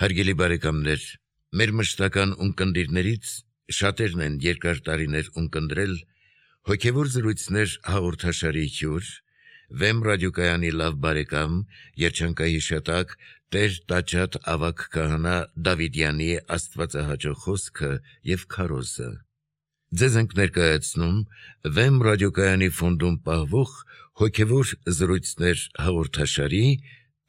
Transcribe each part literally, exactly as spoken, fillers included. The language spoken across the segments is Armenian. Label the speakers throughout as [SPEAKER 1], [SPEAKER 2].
[SPEAKER 1] Հարգելի բարեկամներ, մեր մշտական ունկնդիրներից շատերն են երկար տարիներ ունկնդրել հոգևոր զրույցներ հաղորդաշարի հյուր, Վեմ ռադիոկայանի լավ բարեկամ, երջանկահիշատակ Տեր Տաճատ ավագ քահանա Դավիդյանի աստվածահաճո խոսքը և քարոզը։ Ձեզ ենք ներկայացնում Վեմ ռադիոկայանի ֆոնդում պահվող հոգևոր զրույցներ հաղորդաշարի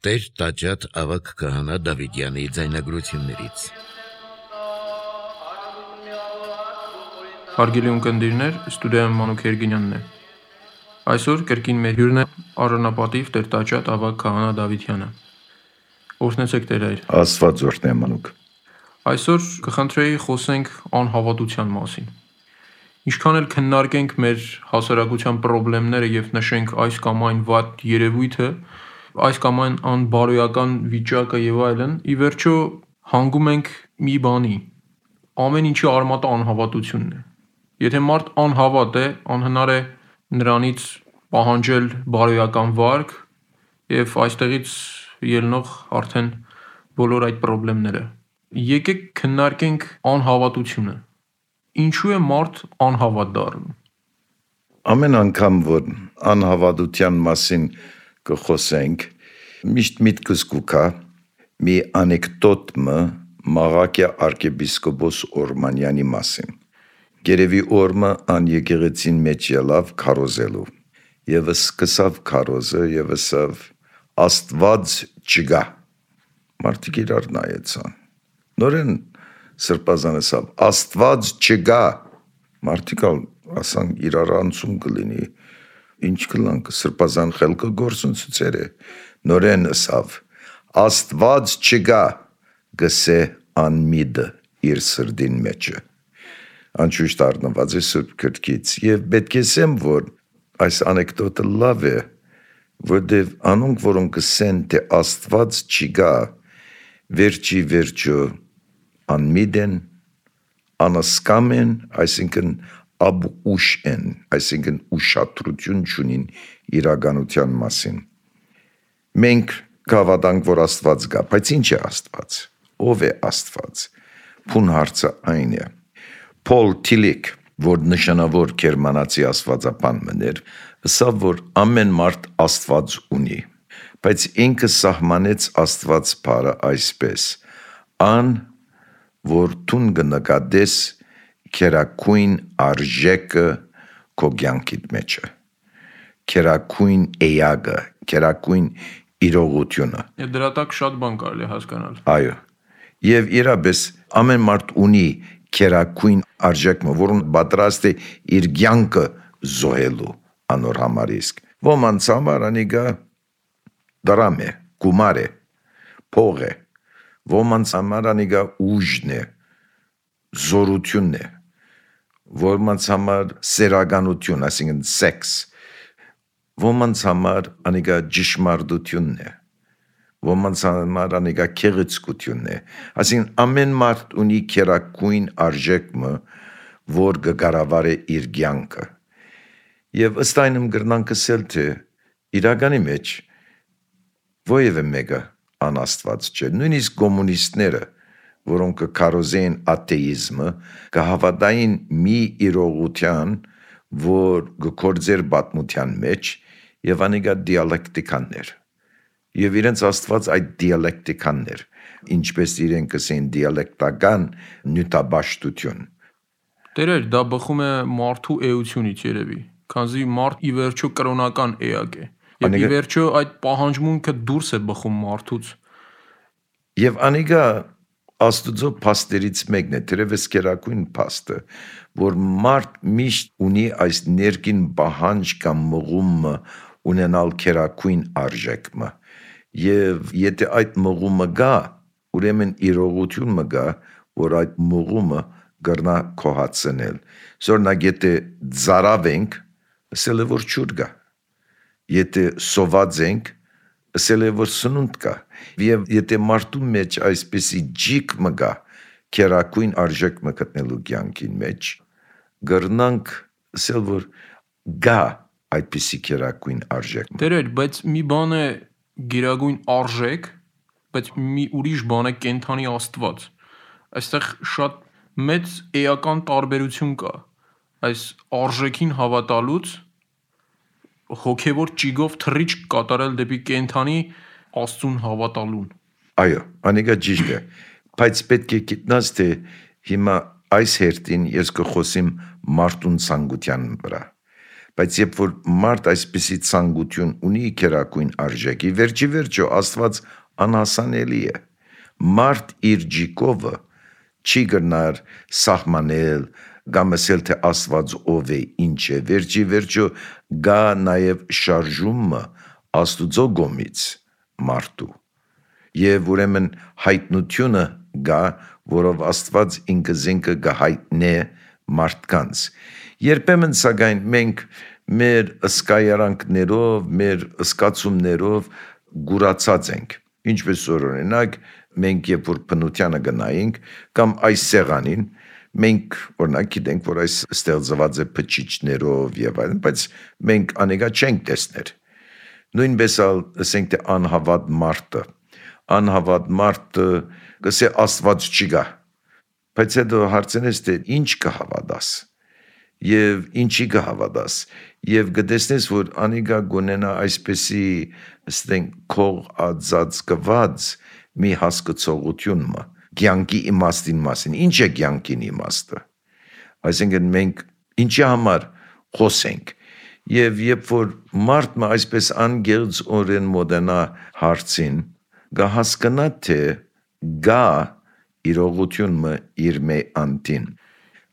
[SPEAKER 1] Տեր Տաճատ ավագ քահանա Դավիդյանի ձայնագրություններից։
[SPEAKER 2] Հարգելի ունկնդիրներ, ստուդիայում Մանուկ Երգինյանն է։ Այսօր կրկին մեր հյուրն է առանապատիվ Տեր Տաճատ ավագ քահանա Դավիդյանը։ Օրհնեցեք Տեր Հայր։
[SPEAKER 3] Աստված օրհնե Մանուկ։
[SPEAKER 2] Այսօր կխնդրեի խոսենք անհավատության մասին։ Ինչքան էլ քննարկենք մեր հասարակության խնդիրները եւ նշենք այս կամ այն վատ երևույթը, այս կամ այն անբարոյական վիճակը եւ այլն, ի վերջո հանգում ենք մի բանի։ Ամեն ինչի արմատը անհավատությունն է։ Եթե մարդ անհավատ է, անհնար է նրանից պահանջել բարոյական վարք եւ այստեղից ելնող արդեն բոլոր այդ խնդիրները։ Եկեք քննարկենք անհավատությունը։ Ինչու է մարդ անհավատ դառնում։
[SPEAKER 3] Ամեն անգամ որ անհավատության մասին կխոսենք, միշտ միտքս կուքա մի անեկդոտ Մաղաքիա arczepiskopos Օրմանյանի մասին։ Գերեւի օրմը ան եկեղեցին մեջ ելավ քարոզելու եւ սկսավ քարոզը եւ ասավ Աստված չգա։ Մարդիկ իրար նայեցան։ Նորեն սրբազան ասավ Աստված չգա։ Մարդիկ ասան իրար անցում կլինի։ Ինչ կլանք սրբազան խելքը գործունցուցեր է։ Նորեն ասավ Աստված չգա գսե անմիդը իր սրդին մեջը։ Անշուշտ առնված է Սուրբ Գրքից եւ պետք է ասեմ, որ այս անեկդոտը լավ է, որտեւ անոնք, որոնք կսեն, թե Աստված չգա, վերջի վերջո անմիդ են, անասկամ են, այսինքն աբուշ են, այսինքն ուշադրություն չունին իրականության մասին։ Մենք կհավատանք, որ Աստված կա, բայց ինչ է Աստված։ Ով է Աստված։ Փուն հարցը այն է։ Փոլ Թիլիկ, որ նշանավոր գերմանացի աստվածապան մներ, ասավ, որ ամեն մարդ Աստված ունի, բայց ինքը սահմանեց Աստված բառը այսպես. ան, որ տուն կնկատես քերակույն արժեքը քո կյանքիդ մեջը, քերակույն էյագը, քերակույն իրողությունը։
[SPEAKER 2] Դրա տակ շատ բան կարելի հասկանալ։
[SPEAKER 3] Այո։ Եվ իրապես ամեն մարդ ունի քերակույն արժեքը, որոնց պատրաստ է իր կյանքը զոհելու անոր համար իսկ։ Ոմանց համար անիկա դրամ է, գումար է, փող է։ Ոմանց համար անիկա ուժն է, զորությունն է։ Ոմանց համար սերականություն, այսինքն սեքս։ Ոմանց համար անիկա ճշմարտությունն է։ Ոմանց համար անիկա քեղեցկությունն է։ Այսինքն ամեն մարդ ունի քերակույն արժեքը, որ կկառավարի իր կյանքը։ Եվ ըստ այնմ կրնանք ասել, թե իրականի մեջ ովևէ մեկը անաստված չէ։ Նույնիսկ կոմունիստները, որոնք կքարոզեն աթեիզմը, կհավատային մի իրողության, որ կգործեր պատմության մեջ, եւ անիկա դիալեկտիկաններ։ Եվ իրենց Աստված այդ դիալեկտիկաններ, ինչպես իրենք կսեն դիալեկտական նյութաբաշխություն։
[SPEAKER 2] Տերեր, դա բխում է մարդու էությունից երևի, քանզի մարդ ի վերջո կրոնական էակ է։ Եվ ի վերջո այդ պահանջմունքը դուրս է բխում մարդուց։
[SPEAKER 3] Եվ անիկա Աստուծո փաստերից մեկն է, թերևս կերակույն փաստը, որ մարդ միշտ ունի այս ներքին պահանջ կամ մղումը ունենալ կերակույն արժեքը։ Եվ եթե այդ մղումը գա, ուրեմն իրողություն մը գա, որ այդ մղումը կրնա քոհացնել։ Զորնակ եթե ծարավ ենք, ասել է որ ջուր գա։ Եթե սոված ենք, ասել է որ սնունդ կա։ Եվ եթե մարդու մեջ այսպեսի ջիկ մը գա, կերակույն արժեք մը գտնելու կյանքին մեջ, կրնանք ասել որ գա այդպիսի կերակույն արժեք։
[SPEAKER 2] Տերեր, բայց մի բան է գերագույն արժեք, բայց մի ուրիշ բան է կենթանի Աստված։ Այստեղ շատ մեծ էական տարբերություն կա այս արժեքին հավատալուց հոգևոր ճիգով թռիչք կատարել դեպի կենթանի Աստծուն հավատալուն։
[SPEAKER 3] Այո, անիկա ճիշտ է, բայց պետք է գիտնաս, թե հիմա այս հերթին ես կխոսիմ մարդուն ցանկության վրա։ Բայց երբ որ մարդ այսպիսի ցանկություն ունի քերակույն արժեքի, վերջի վերջո Աստված անհասանելի է։ Մարդ իր ջիկովը չի գնար սահմանել կամ ասել թե Աստված ով է, ինչ է, վերջի վերջո գա նաև շարժումը Աստուծո գոմից մարդու։ Եվ ուրեմն հայտնությունը գա, որով Աստված ինքը զինքը գահայտնե մարդկանց։ Երբեմն սակայն մենք մեր ըսկայարանքներով, մեր ըսկացումներով գուրացած ենք։ Ինչպես օրինակ, մենք երբ որ բնությանը գնայինք կամ այս սեղանին, մենք օրինակ գիտենք, որ այս ստեղծված է փչիչներով եւ այլն, բայց մենք անեկա չենք տեսներ։ Նույնպես ալ ասենք թե անհավատ մարդը, անհավատ մարդը գսե Աստված չի գա, բայց հետո հարցնես թե ինչ կհավատաս եւ ինչի կհավատաս եւ գտեսնես, որ անիկա գոնենա այսպեսի ասենք քող ածած կված մի հասկացողություն մը կյանքի իմաստին մասին։ Ինչ է կյանքին իմաստը։ Այսինքն մենք ինչի համար խոսենք եւ երբ որ մարդը այսպես անգերց օրեն մոդենա հարցին գահասկնա թե գա իրողությունը իր մե անտին։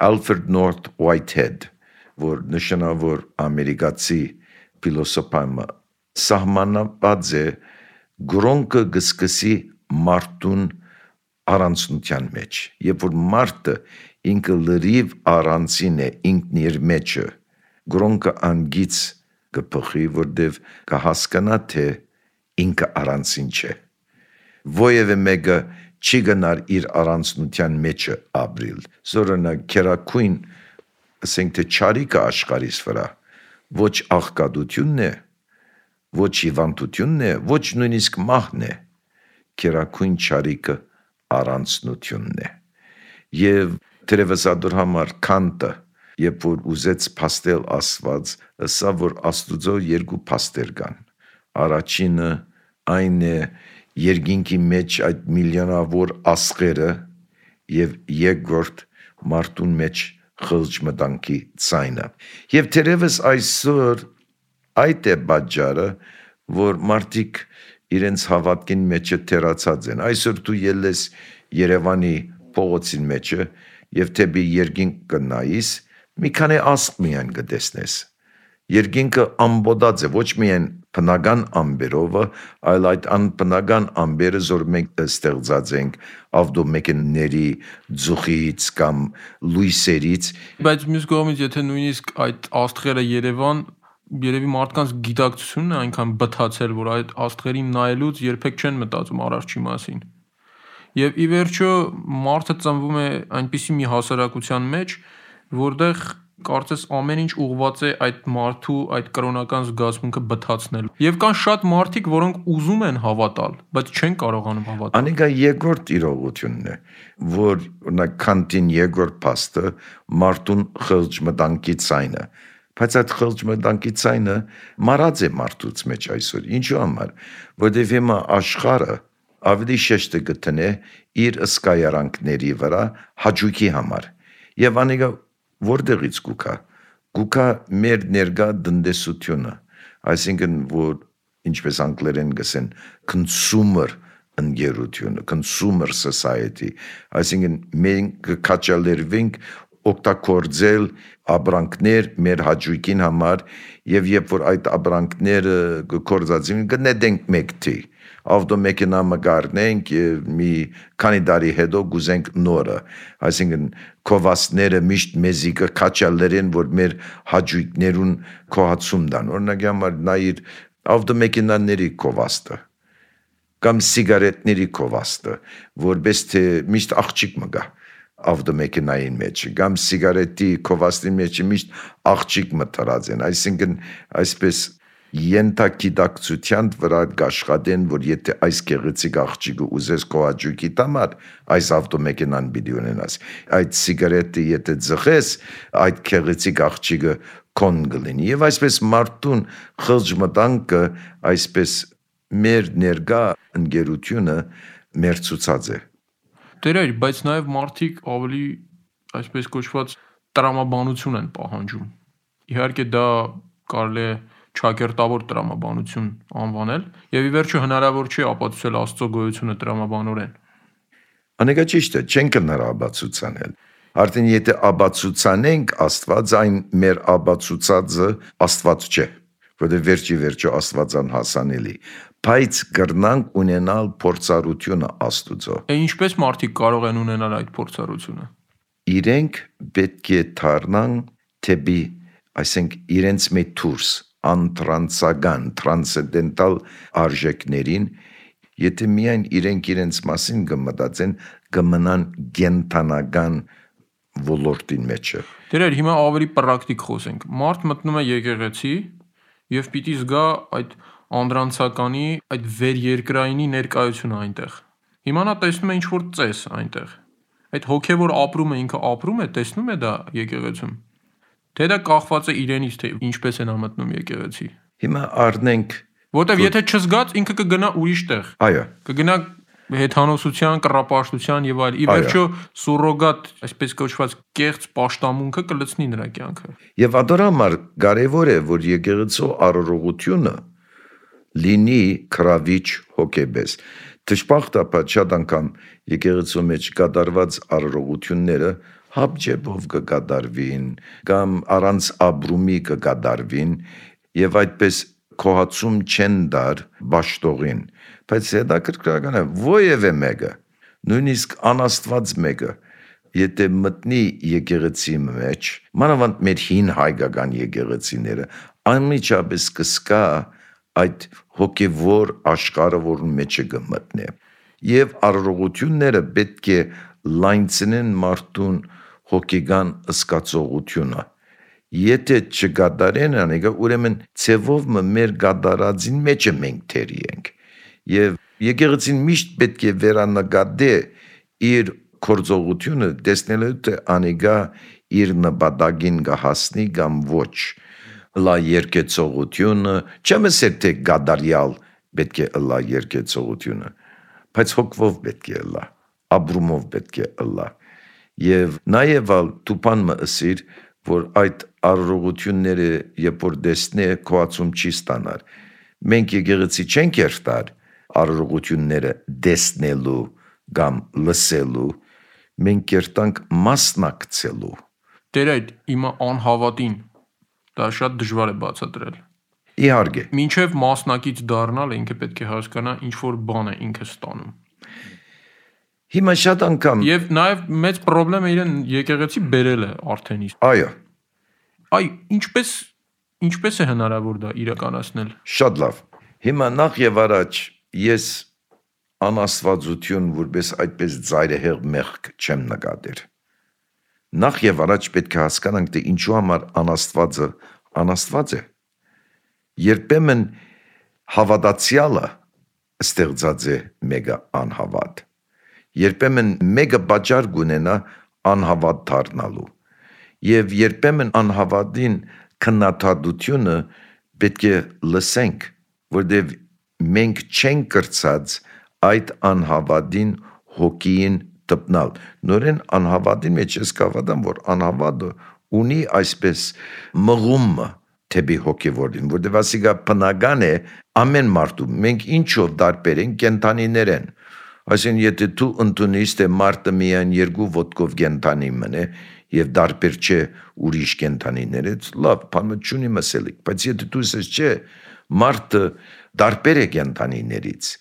[SPEAKER 3] Alfred North Whitehead, որ նշանավոր ամերիկացի փիլոսոփայը, սահմանապած է գրոնկը գսկսի մարդուն առանցնության մեջ։ Երբ որ մարդը ինքը լրիվ առանցին է ինքն իր մեջը, գրոնկը անգից կփխի, որտեվ կհասկանա թե ինքը առանցին չէ։ Ոևէ մեկը չի գնար իր առանցնության մեջը ապրիլ։ Զորոնա քերակույն ասենք թե չարիքը աշխարհիս վրա ոչ աղքատությունն է, ոչ հիվանդությունն է, ոչ նույնիսկ մահն է, քերակույն չարիքը առանցնությունն է։ Եվ դերևս ադոր համար Կանտը, երբ որ ուզեց փաստել Աստված, ասա որ Աստուծո երկու փաստեր կան։ Առաջինը այն է երկինքի մեջ այդ միլիոնավոր աստղերը եւ երկրորդ մարդուն մեջ խղճ մտանքի ցայնը։ Եվ թերևս այսօր այդ է պատճառը, որ մարդիկ իրենց հավատքին մեջը թերացած են։ Այսօր դու ելես Երևանի փողոցին մեջը եւ թեպի երկինք կնայիս, մի քանի աստղ միայն կտեսնես։ Երկինքը ամբողջ է, ոչ միայն բնական ամբերովը, այլ այդ անբնական ամբերը, որ մենք ստեղծած ենք ավտոմեքենաների ձուխից կամ լույսերից։
[SPEAKER 2] Բայց մյուս կողմից, եթե նույնիսկ այդ աստղերը Երևան, երևի մարդկանց գիտակցությունն է այնքան բթացել, որ այդ աստղերին նայելուց երբեք չեն մտածում արարչի մասին։ Եվ ի վերջո մարդը ծնվում է այնպիսի մի հասարակության մեջ, որտեղ կարծես ամեն ինչ ուղղված է այդ մարդու այդ կրոնական զգացմունքը բթացնել։ Եվ կան շատ մարդիկ, որոնք ուզում են հավատալ, բայց չեն կարողանում հավատալ։
[SPEAKER 3] Անիկա երկրորդ իրողությունն է, որ օրինակ Կանտին երկրորդ փաստը մարդուն խղճ մտանքի ցայնը, բայց այդ խղճ մտանքի ցայնը մարած է մարդուց մեջ այսօր։ Ինչու համար, որտեղ հիմա աշխարհը ավելի շեշտը գտնե իր ըսկայարանքների վրա հաճույքի համար։ Եվ անիկա որտեղից գուկա, գուկա մեր ներգա տնտեսությունը, այսինքն որ ինչպես անգլերեն գսեն consumer ընկերությունը, consumer society, այսինքն մենք կաչալերվենք օգտագործել ապրանքներ մեր հաճույքին համար եւ երբ որ այդ ապրանքները կգործածին կնետենք մեկտի ավտոմեքենա մգարնենք մի քանի տարի հետո գուզենք նորը, այսինքն կովասները միշտ մեզի կքաչալերեն, որ մեր հաճույքներուն կոհացում դան, օրինակ համար նայիր ավտոմեքենաների կովաստը կամ սիգարետների կովաստը, որպես թե միշտ աղջիկ մգա ավտոմեքենային մեջ, կամ սիգարետի կովաստի մեջ միշտ աղջիկ մտրած են, այսինքն այսպես ենթագիտակցության վրա կաշխատեն, որ եթե այս գեղեցիկ աղջիկը ուզես քո հաճույքի համար, այս ավտոմեքենան պիտի ունենաս։ Այդ սիգարետը եթե ձղես, այդ գեղեցիկ աղջիկը քոն կլինի։ Եվ այսպես մարդուն խղճմտանքը, այսպես մեր ներկա ընկերությունը մեր ցուցած է։
[SPEAKER 2] Տերեր, բայց նաև մարդիկ ավելի այսպես կոչված տրամաբանություն են պահանջում։ Իհարկե դա կարելի է ճակերտավոր տրամաբանություն անվանել, եւ ի վերջո հնարավոր չի ապացուցել Աստծո գոյությունը տրամաբանորեն։
[SPEAKER 3] Անեկա ճիշտ է, չենք հնար ապացուցանել։ Արդեն եթե ապացուցանենք Աստված, այն մեր ապացուցածը Աստված չէ, որովհետեւ վերջի վերջո Աստվածան հասանելի, բայց կրնանք ունենալ փորձառությունը Աստուծո։
[SPEAKER 2] Է ինչպես մարդիկ կարող են ունենալ այդ փորձառությունը։
[SPEAKER 3] Իրենք պետք է դառնան թեպի, այսինքն իրենց մեջ դուրս անտրանսական, տրանսցենդենտալ արժեքներին, եթե միայն իրենք իրենց մասին կմտածեն, կմնան կենթանական ոլորտին մեջը։
[SPEAKER 2] Դերեր, հիմա ավելի պրակտիկ խոսենք։ Մարդ մտնում է եկեղեցի եւ պիտի զգա այդ անդրանցականի, այդ վերերկրայինի ներկայությունը այնտեղ։ Հիմա նա տեսնում է ինչ-որ ծես այնտեղ։ Այդ հոգեվոր ապրումը ինքը ապրում է, տեսնում է դա եկեղեցում։ Թե դա կախված է իրենից, թե ինչպես են մտնում եկեղեցի։
[SPEAKER 3] Հիմա առնենք,
[SPEAKER 2] որտեվ եթե չզգաց, ինքը կգնա ուրիշ տեղ։
[SPEAKER 3] Այո։
[SPEAKER 2] Կգնա հեթանոսության, կռապաշտության եւ այլ։ Ի վերջո սուրոգատ, այսպես կոչված կեղծ պաշտամունքը կլցնի նրա կյանքը։
[SPEAKER 3] Եվ ադորամար կարևոր է, որ եկեղեցու առողջությունը լինի քրավիչ հոգեբես։ Դժբախտաբար շատ անգամ եկեղեցու մեջ կատարված առողջությունները հապճեպով կկատարվին կամ առանց ապրումի կկատարվին եւ այդպես քոհացում չեն դար ճաշտողին, բայց հետաքրքրական է ովևէ մեկը, նույնիսկ անաստված մեկը, եթե մտնի եկեղեցի մեջ, մանավանդ մեր հին հայկական եկեղեցիները, անմիջապես կսկա այդ հոգևոր աշխարհը, որում մեջը կմտնի, եւ առողջությունները պետք է լայնցնեն մարդուն հոգեգան զգացողությունը։ Եթե չգադարեն անեգա, ուրեմն ցևով մեր գադարածին մեջը մենք թերի ենք։ Եվ եկեղեցին միշտ պետք է վերանագադե իր կորձողությունը, տեսնելու թե անեգա իր նպատակին կհասնի կամ ոչ։ Լա երկեցողությունը, չեմ ասել թե գադարյալ պետք է լա երկեցողությունը, բայց հոգվով պետք է լա, ապրումով պետք է լա։ Եվ նաև դու բան մը ասիր, որ այդ առողջությունները երբ որ դեսնե քոացում չի ստանալ։ Մենք եկեղեցի չենք երթար առողջությունները դեսնելու կամ լսելու, մենք երթանք մասնակցելու։
[SPEAKER 2] Տեր այդ իմը անհավատին դա շատ դժվար է բացատրել։
[SPEAKER 3] Իհարկե։
[SPEAKER 2] Մինչև մասնակից դառնալ ինքը պետք է հասկանա ինչ որ բան է ինքը ստանում։
[SPEAKER 3] Հիմա շատ անգամ
[SPEAKER 2] Եվ նաև մեծ խնդրեմ է իրեն եկեղեցի բերել է արդեն իսկ։
[SPEAKER 3] Այո։
[SPEAKER 2] Այ ինչպես ինչպես է հնարավոր դա իրականացնել։
[SPEAKER 3] Շատ լավ։ Հիմա նախ եւ առաջ ես անաստվածություն որպես այդպես ծայրահեղ մեղք չեմ նկատել։ Նախ եւ առաջ պետք է հասկանանք, թե ինչու համար անաստվածը անաստված է։ Երբեմն հավատացյալը ստեղծած է մեկը անհավատ։ Երբեմն մեկը բաժար գունենա անհավատ դառնալու։ Եվ երբեմն անհավատին քննադատությունը պետք է լսենք, որտեղ մենք չենք կրծած այդ անհավատին հոգին տպնալ։ Նորեն անհավատին մեջ ես կավադամ, որ անհավատը ունի այսպես մղումը թեպի հոգևորին, որտեղ ասիկա բնական է ամեն մարդու, մենք ինչով դարբեր ենք կենթանիներ են։ Այսինքն եթե դու ընդունես թե մարդը միայն երկու ոտքով կենթանի մնե եւ դարբեր չէ ուրիշ կենթանիներից, լավ, բանը չունի մսելիք, բայց եթե դու ասես չէ, մարդը դարբեր է կենթանիներից,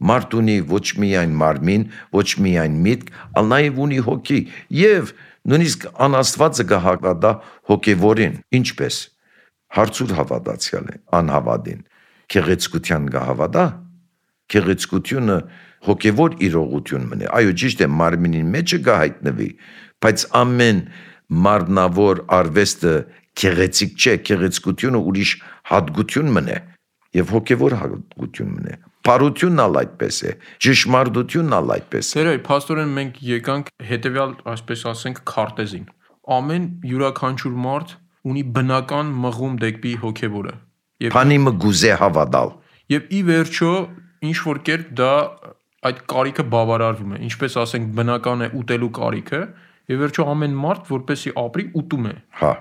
[SPEAKER 3] մարդ ունի ոչ միայն մարմին, ոչ միայն միտք, այլ նաեւ ունի հոգի եւ նույնիսկ անաստվածը կհավատա հոգևորին, ինչպես հարցուր հավատացյալ է, անհավատին, քեղեցկության կհավատա, քեղեցկությունը հոգևոր իրողություն մնե, այո ճիշտ է մարմինին մեջը կհայտնվի, բայց ամեն մարմնավոր արվեստը քեղեցիկ չէ, քեղեցկությունը ուրիշ հատկություն մնե, Եվ հոգևոր հաղորդությունն է։ Բարությունն ալ այդպես է, ճշմարտությունն ալ այդպես է։
[SPEAKER 2] Տերեր, փաստորեն մենք եկանք հետևյալ, այսպես ասենք, քարտեզին։ Ամեն յուրաքանչյուր մարդ ունի բնական մղում դեպի հոգևորը։
[SPEAKER 3] Փանի մը գուզե հավատալ։
[SPEAKER 2] Եվ ի վերջո ինչ որ կերպ դա այդ կարիքը բավարարվում է, ինչպես ասենք բնական է ուտելու կարիքը, եւ վերջո ամեն մարդ որպեսի ապրի ուտում է։
[SPEAKER 3] Հա։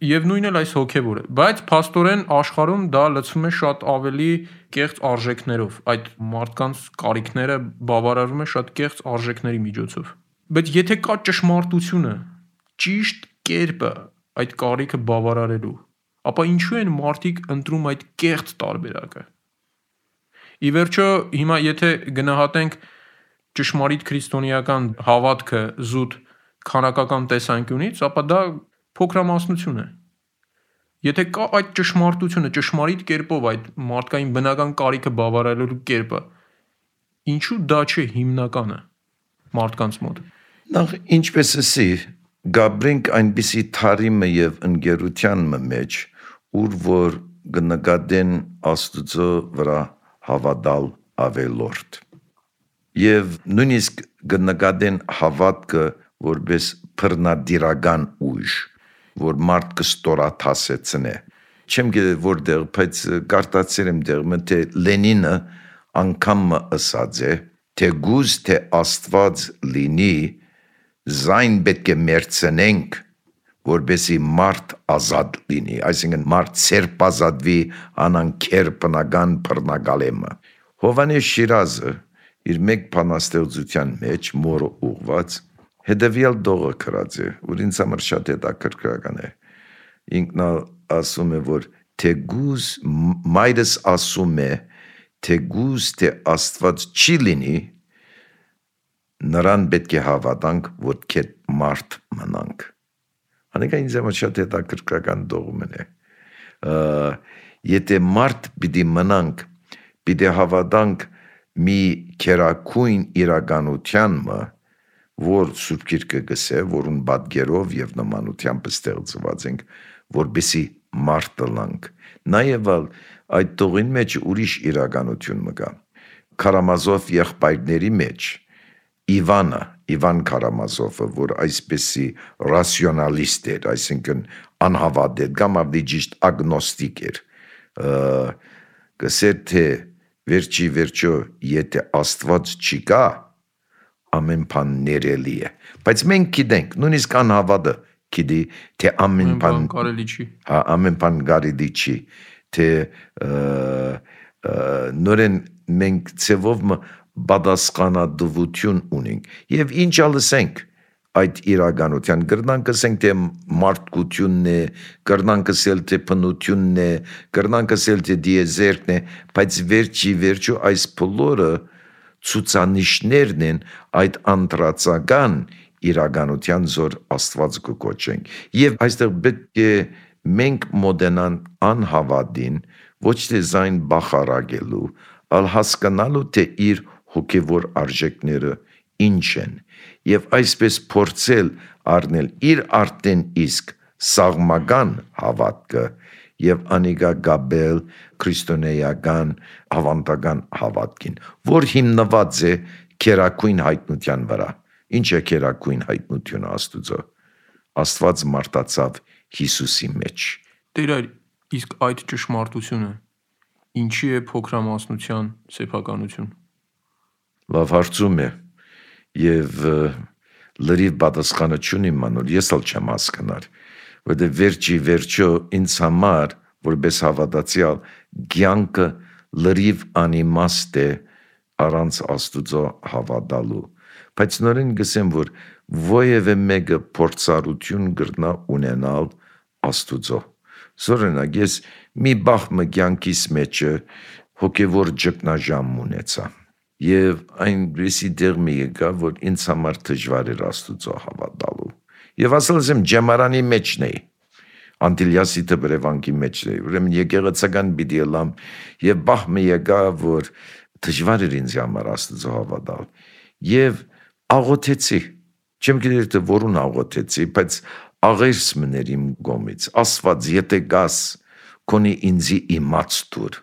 [SPEAKER 2] Եվ նույնն էլ այս հոգևորը, բայց փաստորեն աշխարհում դա լցվում է շատ ավելի կեղծ արժեքներով, այդ մարդկանց կարիքները բավարարվում է շատ կեղծ արժեքների միջոցով։ Բայց եթե կա ճշմարտությունը, ճիշտ կերպը այդ կարիքը բավարարելու, ապա ինչու են մարդիկ ընտրում այդ կեղծ տարբերակը։ Ի վերջո, հիմա եթե գնահատենք ճշմարիտ քրիստոնեական հավատքը զուտ քանակական տեսանկյունից, ապա դա փոքրամասնություն է։ Եթե կա այդ ճշմարտությունը, ճշմարիտ կերպով այդ մարդկային բնական կարիքը բավարարելու կերպը, ինչու դա չէ հիմնականը մարդկանց մոտ։
[SPEAKER 3] Նախ ինչպես էսի գաբրենք այնպիսի թարիմը եւ ընկերության մեջ, ուր որ գնկադեն Աստուծո վրա հավատալ ավելորդ։ Եվ նույնիսկ գնկադեն հավատքը որպես բռնադիրական ուժ, որ մարդ կստորաթասեցնե։ Չեմ գիտե որտեղ, բայց կարտացել եմ դեղը, թե Լենինը անգամ ըսած է, թե գուզ թե Աստված լինի, զայն պետք է մերցնենք, որպեսի մարդ ազատ լինի, այսինքն մարդ սերպազատվի անանքեր բնական բռնագալեմը։ Հովանես Շիրազը իր մեկ բանաստեղծության մեջ մորը ուղված հետևյալ դողը գրած է, որ ինձ համար շատ հետաքրքրական է։ Ինքն ասում է, որ թե գուզ մայրս ասում է, թե գուզ թե Աստված չի լինի, նրան պետք է հավատանք, որ քետ մարդ մնանք։ Անիկա ինձ համար շատ հետաքրքրական դողումն է։ Եթե մարդ պիտի մնանք, պիտի հավատանք մի քերակույն իրականությանմը, որ Սուրբ Գիրքը գսե, որուն պատկերով եւ նմանությամբ ստեղծված ենք, որպեսի մարդ լանք։ Նաեւ այդ տողին մեջ ուրիշ իրականություն մը կա։ Կարամազով եղբայրների մեջ Իվանը, Իվան Կարամազովը, որ այսպեսի ռասիոնալիստ էր, այսինքն անհավատ էր, կամ ավելի ճիշտ ագնոստիկ էր, գսեր թե վերջի վերջո, եթե Աստված չի կա, ամեն բան ներելի է։ Բայց մենք գիտենք, նույնիսկ անհավատը գիտի, թե ամեն բան
[SPEAKER 2] կարելի չի։
[SPEAKER 3] Հա, ամեն բան կարելի չի, թե նորեն մենք ցևով բադասխանադվություն ունենք։ Եվ ինչ ալսենք այդ իրականության, գրնանք ասենք թե մարդկությունն է, գրնանք ասել թե բնությունն է, գրնանք ասել թե դիեզերքն է, բայց վերջի վերջո այս բոլորը ցուցանիշներն են այդ անդրածական իրականության զոր Աստված կոչենք։ Եվ այստեղ պետք է մենք մոդենան անհավատին, ոչ թե զայն բախարագելու, այլ հասկանալու թե իր հոգևոր արժեքները ինչ են, եւ այսպես փորձել առնել իր արդեն իսկ սաղմական հավատքը եւ անիկա գաբել քրիստոնեական հավանտական հավատքին, որ հիմնված է քերակույն հայտնության վրա։ Ինչ է քերակույն հայտնությունը Աստուծո։ Աստված մարտացավ Հիսուսի մեջ։
[SPEAKER 2] Տեր այր, իսկ այդ ճշմարտությունը ինչի է փոքրամասնության սեփականություն։
[SPEAKER 3] Լավ հարցում է եւ լրիվ պատասխանը չունի մանոր, ես ալ չեմ հասկանար, որտեղ վերջի վերջո ինձ համար որպես հավատացյալ կյանքը լրիվ անիմաստ է առանց Աստուծո հավատալու, բայց նորեն գսեմ, որ ովևէ մեկը փորձառություն գրնա ունենալ Աստուծո։ Զորենակ ես մի բախմը կյանքիս մեջը հոգևոր ճգնաժամ ունեցա եւ այնպեսի դեր մի եկա, որ ինձ համար դժվար էր Աստուծո հավատալու։ Եվ ասել եմ ջամարանի մեջն էի, Անտիլիասի դբրևանկի մեջն էի, ուրեմն եկեղեցական պիտի ելամ եւ բախմը եկա, որ դժվար էր ինձ համար Աստուծո հավատալ։ Եվ աղոթեցի, չեմ գիտեր թե որուն աղոթեցի, բայց աղերս մներ իմ գոմից, Աստված, եթե գաս, քոնի ինձի իմաց տուր,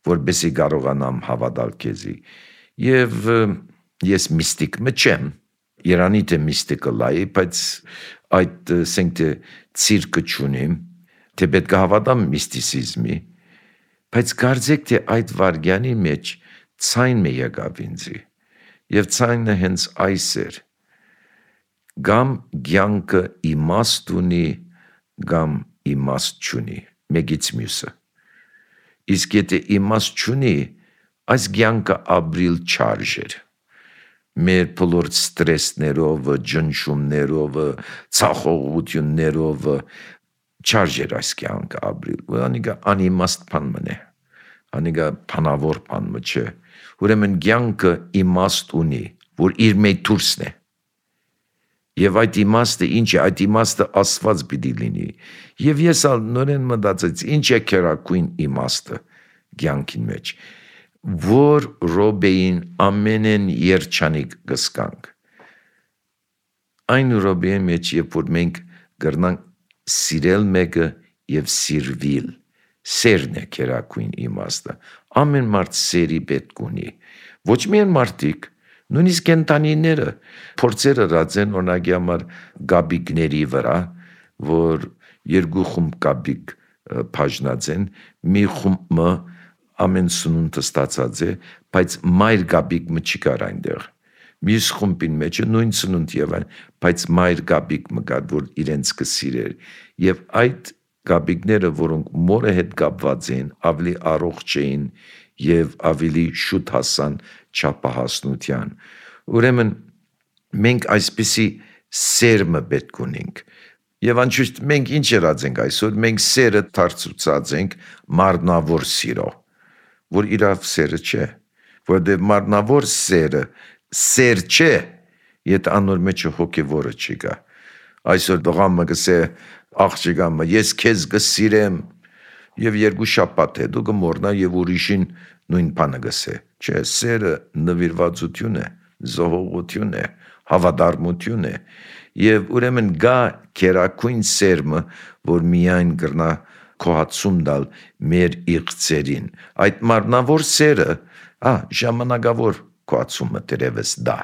[SPEAKER 3] որբեսի կարողանամ հավատալ քեզի։ Եվ ես միստիկ մչեմ, Երանի թե միստիկը լայի, բայց այդ ասենք թե ցիրկը չունիմ, թե պետք է հավատամ միստիցիզմի, բայց կարծեք թե այդ վարգյանի մեջ ցայն մի եկավ ինձի, եւ ցայնը հենց այս էր, գամ ցանկը իմաստ ունի, գամ իմաստ չունի, մեկից մյուսը, իսկ եթե իմաստ չունի, այս ցանկը ապրիլ չարժեր, մեր բոլոր ստրեսներով, ջնշումներով, ցախողություններով չարժեր այս կյանքը ապրիլ, որ անիգա անիմաստ բան մնե, անիգա փանավոր բան մը չէ, ուրեմն կյանքը իմաստ ունի, որ իր մեջ դուրսն է, եւ այդ իմաստը ինչ է, այդ իմաստը Աստված պիտի լինի, եւ ես ալ նորեն մտածեցի, ինչ է քերակույն իմաստը կյանքին մեջ, որ ռոբեին ամենեն երջանիկ գսկանք, այն ռոբեի մեջ, երբ որ մենք գրնանք սիրել մեկը եւ սիրվիլ, սերն է քերակույն իմաստը, ամեն մարդ սերի պետք ունի, ոչ միայն մարդիկ, նույնիսկ կենտանիները, փորձերը ռացեն օրինակի համար գաբիկների վրա, որ երկու խումբ գաբիկ բաժնած են, մի խումբը ամեն սնունդը ստացած է, բայց մայր գաբիկ մը չի կար այնտեղ, մյուս խումբին մեջը նույն սնունդ եւ այն, բայց մայր գաբիկ մը կար, որ իրենց կսիրեր, եւ այդ գաբիկները, որոնք մորը հետ կապված էին, ավելի առողջ էին եւ ավելի շուտ հասան չափահասնության, ուրեմն մենք այսպիսի սերմը պետք ունենք, եւ անշուշտ մենք ինչ երած ենք այսօր, մենք սերը դարձուցած ենք մարմնավոր սիրո, որ իրավ սերը չէ, որովհետև մարմնավոր սերը սեր չէ, եթե անոր մեջը հոգևորը չի գա, այսօր դողամը գսե աղջիկամը, ես քեզ կսիրեմ, եւ երկու շաբաթ հետո կմոռնա եւ ուրիշին նույն բանը գսե, չէ, սերը նվիրվածություն է, զոհողություն է, հավատարմություն է, եւ ուրեմն գա քերակույն սերմը, որ միայն կրնա քոհացում դալ մեր իղծերին, այդ մարմնավոր սերը, ա, ժամանակավոր քոհացումը դերևս դա,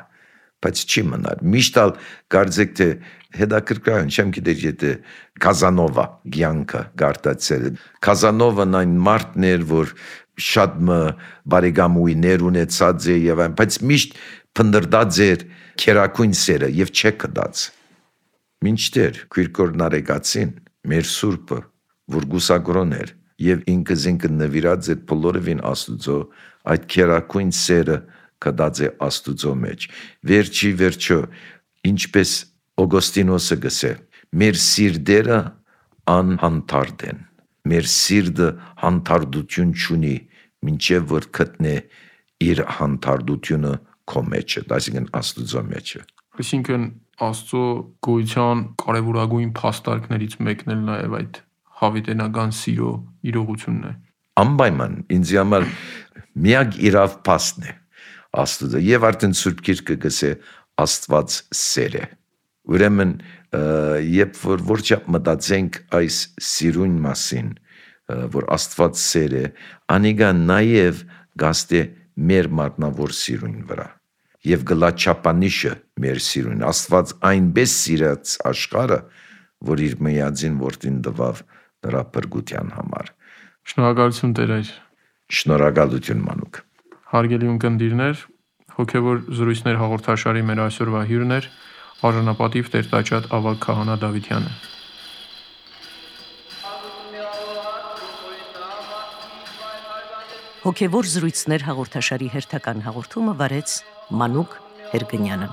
[SPEAKER 3] բայց չի մնար, միշտ ալ կարծեք թե հետաքրքրություն չեմ գիտեր եթե Կազանովա կյանքը գարտացել, Կազանովան այն մարդն էր, որ շատ մը բարեկամուհիներ ունեցած է եւ այն, բայց միշտ փնդրդած էր քերակույն սերը եւ չեկդած, մինչդեռ քույրկոր նարեկացին, մեր սուրբը, որ գուսակրոն էր, եւ ինքը զինքը նվիրած էր բոլորովին Աստուծո, այդ քերակույն սերը կդած է Աստուծո մեջ, վերջի վերջո, ինչպես Օգոստինոսը գսե, մեր սիրտերը անհանդարտ են, մեր սիրտը հանդարտություն չունի, մինչև որ գտնե իր հանդարտությունը քո մեջը, այսինքն Աստուծո մեջը։
[SPEAKER 2] Այսինքն Աստծո գոյության կարևորագույն փաստարկներից մեկն էլ նաև այդ հավիտենական սիրո իրողությունն է։
[SPEAKER 3] Անպայման ինձ համար միակ իրավ փաստն է Աստուծո, եւ արդեն Սուրբ Գիրքը գսե Աստված սեր է։ Ուրեմն երբ որ որչափ մտածենք այս սիրուն մասին, որ Աստված սեր է, անիգա նաև գաստե մեր մարմնավոր սիրուն վրա։ Եվ գլա չափանիշը մեր սիրուն, Աստված այնպես սիրած աշխարհը, որ իր միածին որդին տվավ նրա փրկության համար։
[SPEAKER 2] Շնորհակալություն Տեր այր։
[SPEAKER 3] Շնորհակալություն մանուկ։
[SPEAKER 2] Հարգելի ունկնդիրներ, հոգևոր զրույցներ հաղորդաշարի մեր այսօրվա հյուրն էր արժանապատիվ Տեր-Տաճատ Ավագ քահանա Դավիթյանը։
[SPEAKER 4] Հոգևոր զրույցներ հաղորդաշարի հերթական հաղորդումը վարեց Մանուկ Հերգնյանը։